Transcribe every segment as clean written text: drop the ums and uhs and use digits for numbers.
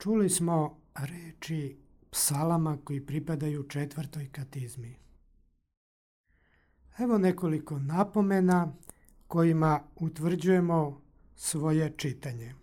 Čuli smo reči psalama koji pripadaju 4. katizmi. Evo nekoliko napomena kojima utvrđujemo svoje čitanje.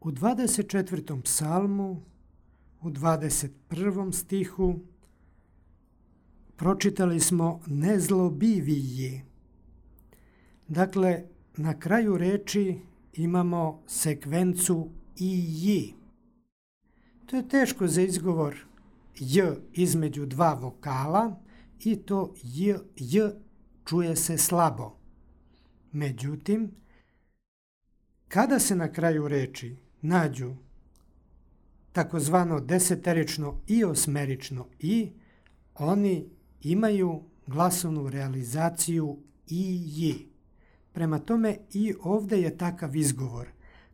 U 24. psalmu, u 21. stihu, pročitali smo nezlobiviji. Dakle, na kraju reči imamo sekvencu i. To je teško za izgovor j između dva vokala i to j čuje se slabo. Međutim, kada se na kraju reči nađu takozvano deseterično i osmerično i, oni imaju glasovnu realizaciju i. Prema tome i ovdje je takav izgovor,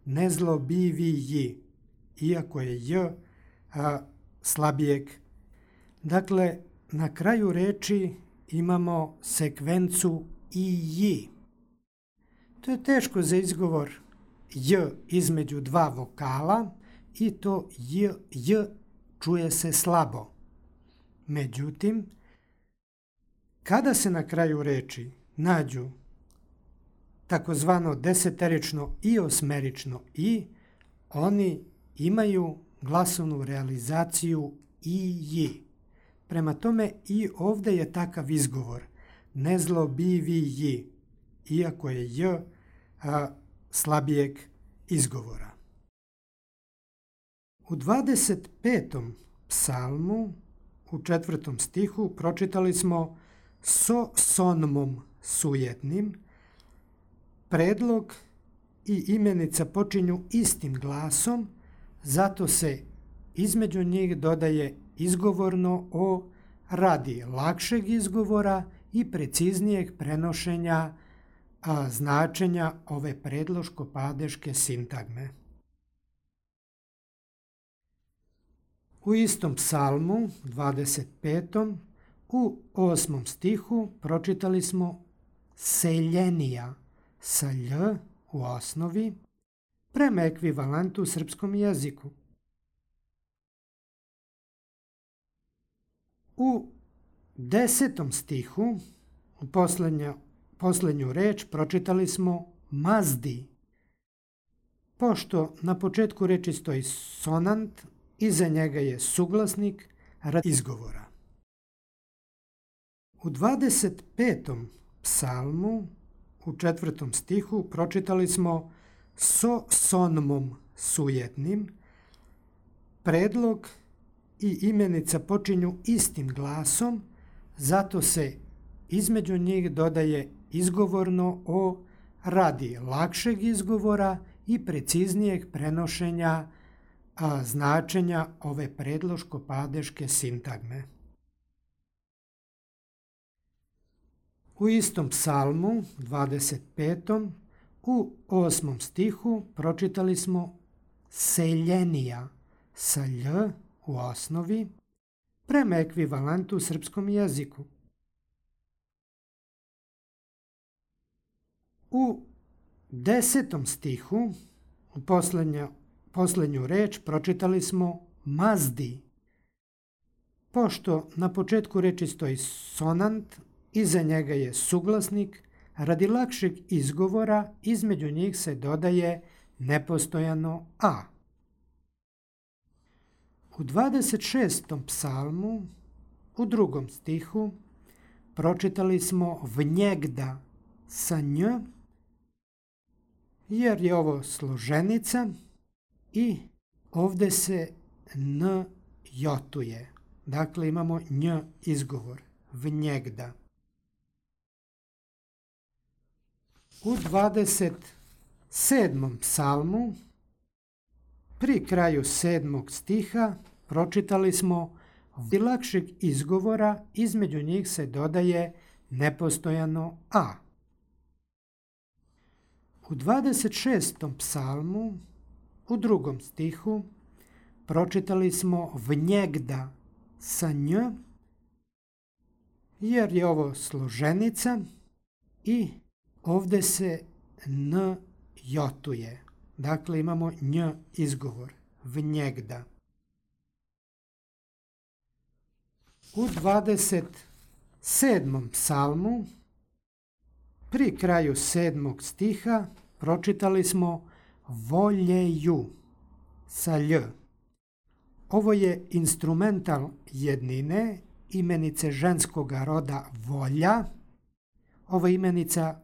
nezlobiviji, iako je j slabijeg. Dakle, na kraju reči imamo sekvencu i. To je teško za izgovor j između dva vokala i to j čuje se slabo. Međutim, kada se na kraju reči nađu takozvano deseterično i osmerično i, oni imaju glasovnu realizaciju i. Prema tome i ovdje je takav izgovor, nezlobiviji, iako je j slabijeg izgovora. U 25. psalmu, u 4. stihu, pročitali smo so sonmom sujetnim. Predlog i imenica počinju istim glasom, zato se između njih dodaje izgovorno o radi lakšeg izgovora i preciznijeg prenošenja značenja ove predloško-padeške sintagme. U istom psalmu, 25. u 8. stihu pročitali smo seljenija sa lj u osnovi prema ekvivalentu u srpskom jeziku. U 10. stihu, u posljednju reč, pročitali smo mazdi. Pošto na početku reči stoji sonant, iza njega je suglasnik radi izgovora. U 25. psalmu, u 4. stihu, pročitali smo so sonmom sujetnim. Predlog i imenica počinju istim glasom, zato se između njih dodaje izgovorno o radi lakšeg izgovora i preciznijeg prenošenja značenja ove predloško-padeške sintagme. U istom psalmu, 25. u 8. stihu pročitali smo seljenija sa lj u osnovi prema ekvivalentu u srpskom jeziku. U 10. stihu, u posljednju reč, pročitali smo mazdi. Pošto na početku reči stoji sonant, iza njega je suglasnik, radi lakšeg izgovora između njih se dodaje nepostojano a. U 26. psalmu, u 2. stihu, pročitali smo vnjegda sa nj, jer je ovo složenica i ovdje se n jotuje. Dakle, imamo nj izgovor, vnjegda. U 27. psalmu, pri kraju 7. stiha, pročitali smo radi lakšeg izgovora, između njih se dodaje nepostojano a. U 26. psalmu, u 2. stihu, pročitali smo vnjegda sa nj, jer je ovo složenica i ovdje se n jotuje. dakle imamo nj izgovor, vnjegda. U 27. psalmu, pri kraju 7. stiha, pročitali smo voljeju sa lj. Ovo je instrumental jednine, imenice ženskoga roda volja. Ova imenica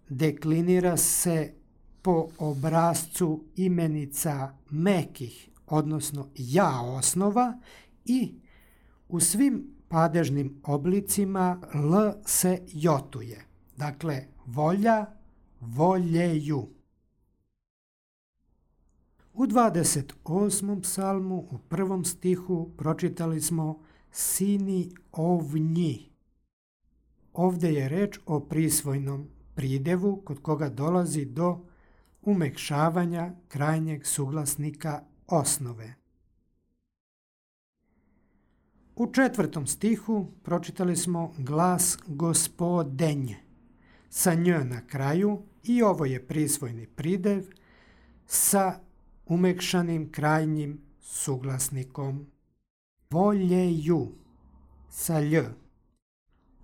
deklinira se po obrascu imenica mekih, odnosno ja osnova, i u svim padežnim oblicima l se jotuje. Dakle, volja, voljeju. U 28. psalmu, u 1. stihu, pročitali smo sini ovnji. Ovdje je reč o prisvojnom pridevu kod koga dolazi do umekšavanja krajnjeg suglasnika osnove. U 4. stihu pročitali smo glas gospodenj sa nj na kraju i ovo je prisvojni pridev sa umekšanim krajnjim suglasnikom. Voljeju sa lj.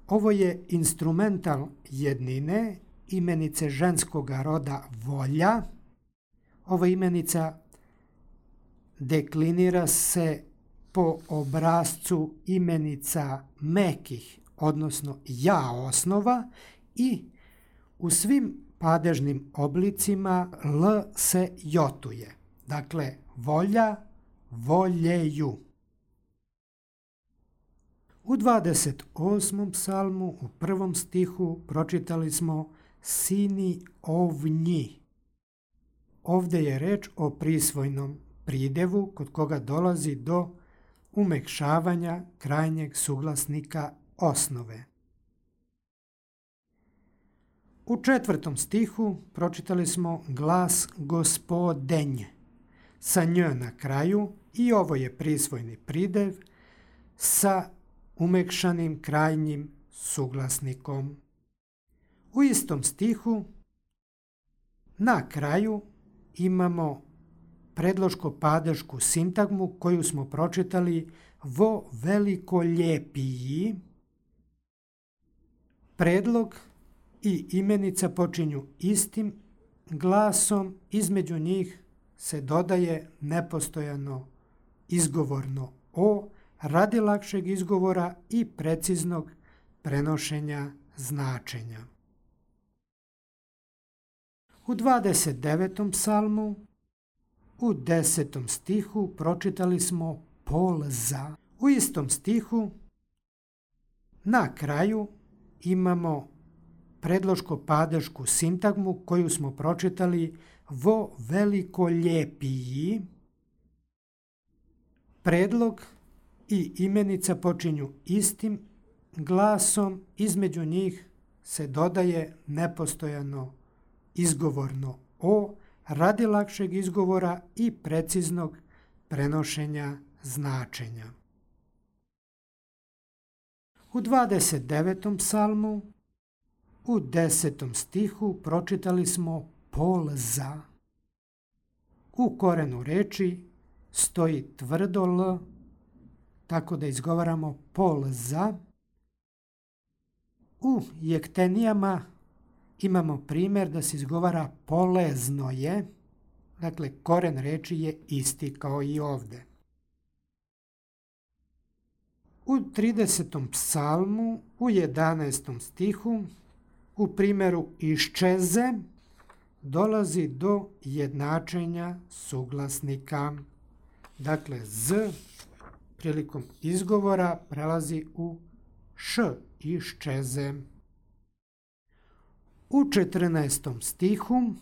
Ovo je instrumental jednine, imenice ženskoga roda volja. Ova imenica deklinira se po obrascu imenica mekih, odnosno ja osnova, i u svim padežnim oblicima l se jotuje. Dakle, volja, voljeju. U 28. psalmu, u 1. stihu, pročitali smo sini ovnji. Ovdje je reč o prisvojnom pridevu kod koga dolazi do umekšavanja krajnjeg suglasnika osnove. U 4. stihu pročitali smo glas gospodenj sa nj na kraju i ovo je prisvojni pridev sa umekšanim krajnjim suglasnikom. U istom stihu na kraju imamo predloško-padešku sintagmu koju smo pročitali vo veliko lijepiji. Predlog i imenica počinju istim glasom, između njih se dodaje nepostojano izgovorno o radi lakšeg izgovora i preciznog prenošenja značenja. U 29. psalmu, u 10. stihu pročitali smo polza. U istom stihu na kraju imamo predloško-padešku sintagmu koju smo pročitali vo veliko lijepiji. Predlog i imenica počinju istim glasom, između njih se dodaje nepostojano izgovorno o radi lakšeg izgovora i preciznog prenošenja značenja. U 29. psalmu, u 10. stihu pročitali smo polza. U korenu reči stoji tvrdo l, tako da izgovaramo polza. U jektenijama imamo primjer da se izgovara polezno je, dakle koren reči je isti kao i ovdje. U 30. psalmu, u 11. stihu, u primjeru iščeze, dolazi do jednačenja suglasnika. Dakle, z prilikom izgovora prelazi u š, iščeze. U 14. stihu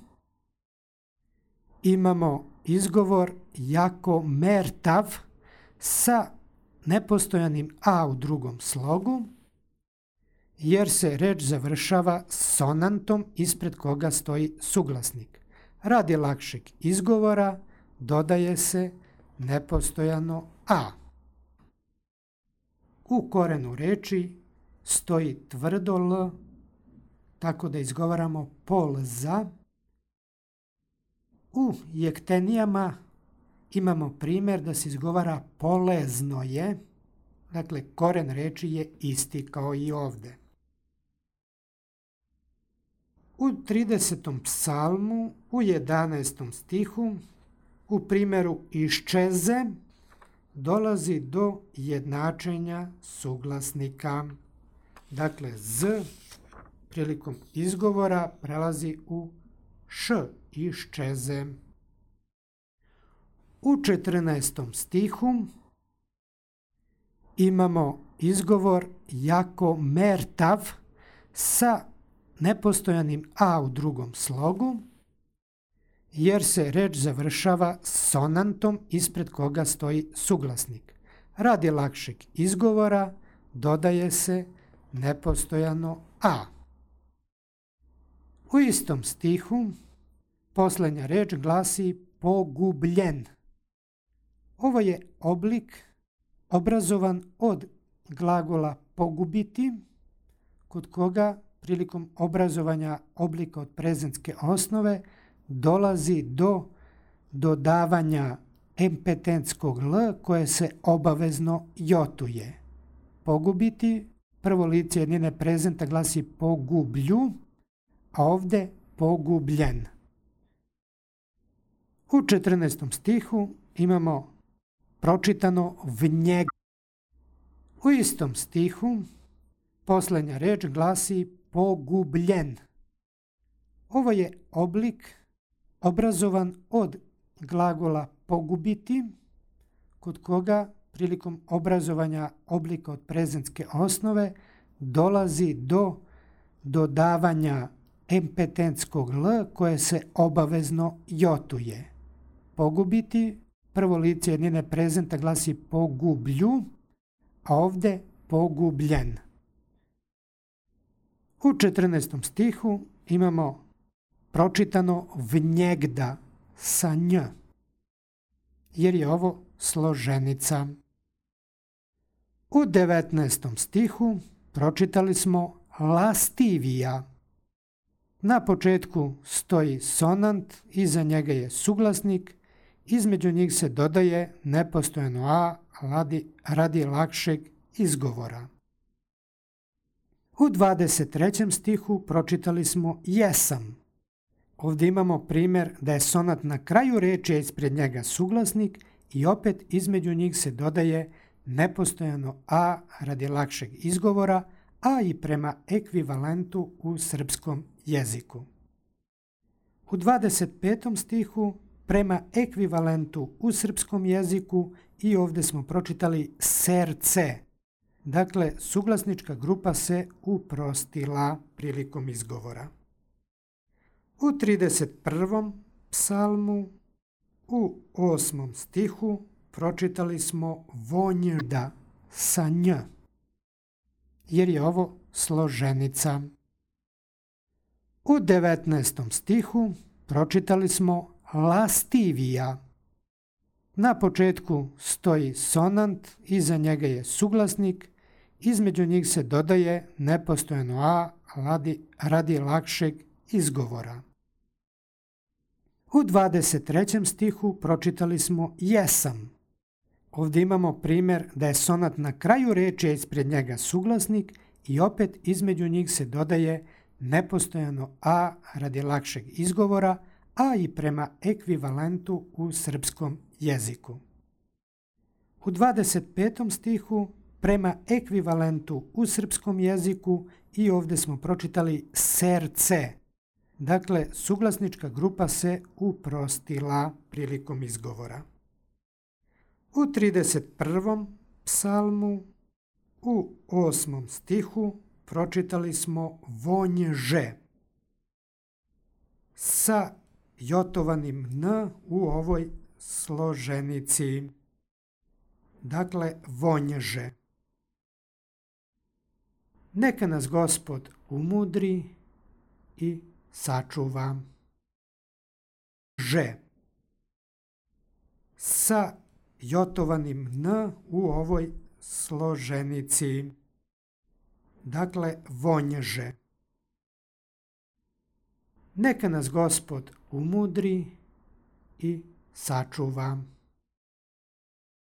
imamo izgovor jako mertav sa nepostojanim a u drugom slogu, jer se reč završava sonantom ispred koga stoji suglasnik. Radi lakšeg izgovora dodaje se nepostojano a. U korenu reči stoji tvrdo l, tako da izgovaramo polza. U jektenijama imamo primjer da se izgovara polezno je, dakle koren reči je isti kao i ovdje. U 30. psalmu, u 11. stihu, u primjeru iščeze, dolazi do jednačenja suglasnika. Dakle, z prilikom izgovora prelazi u š, iščeze. U 14. stihu imamo izgovor jako mertav sa nepostojanim a u drugom slogu, jer se reč završava sonantom ispred koga stoji suglasnik. Radi lakšeg izgovora dodaje se nepostojano a. U istom stihu posljednja reč glasi pogubljen. Ovo je oblik obrazovan od glagola pogubiti, kod koga prilikom obrazovanja oblika od prezentske osnove dolazi do dodavanja empetentskog l koje se obavezno jotuje. Pogubiti, prvo lice jednine prezenta glasi pogublju, a ovdje pogubljen. U 14. stihu imamo pročitano v njega. U istom stihu posljednja reč glasi pogubljen. Ovo je oblik obrazovan od glagola pogubiti, kod koga prilikom obrazovanja oblika od prezentske osnove dolazi do dodavanja empetentskog l koje se obavezno jotuje. Pogubiti, prvo lice jednine prezenta glasi pogublju, a ovdje pogubljen. U 14. stihu imamo pročitano v njegda sa nj, jer je ovo složenica. U 19. stihu pročitali smo lastivija. Na početku stoji sonant, iza njega je suglasnik, između njih se dodaje nepostojano a radi lakšeg izgovora. U 23. stihu pročitali smo jesam. Ovdje imamo primjer da je sonat na kraju reči, a ispred njega suglasnik i opet između njih se dodaje nepostojano a radi lakšeg izgovora, a i prema ekvivalentu u srpskom jeziku. U 25. stihu prema ekvivalentu u srpskom jeziku i ovdje smo pročitali serce. Dakle, suglasnička grupa se uprostila prilikom izgovora. U 31. psalmu u 8. stihu pročitali smo vonjda sa nj, jer je ovo složenica. U 19. stihu pročitali smo lastivija. Na početku stoji sonant, iza njega je suglasnik, između njih se dodaje nepostojano a radi lakšeg izgovora. U 23. stihu pročitali smo jesam. Ovdje imamo primjer da je sonat na kraju reči, a ispred njega suglasnik i opet između njih se dodaje nepostojano a radi lakšeg izgovora, a i prema ekvivalentu u srpskom jeziku. U 25. stihu prema ekvivalentu u srpskom jeziku i ovdje smo pročitali serce. Dakle, suglasnička grupa se uprostila prilikom izgovora. U 31. psalmu u 8. stihu pročitali smo vonjže sa jotovanim n u ovoj složenici. Dakle, vonjže. Neka nas Gospod umudri i sačuva. Že. Sa jotovanim n u ovoj složenici. Dakle, vonjže. Neka nas Gospod umudri i sačuva.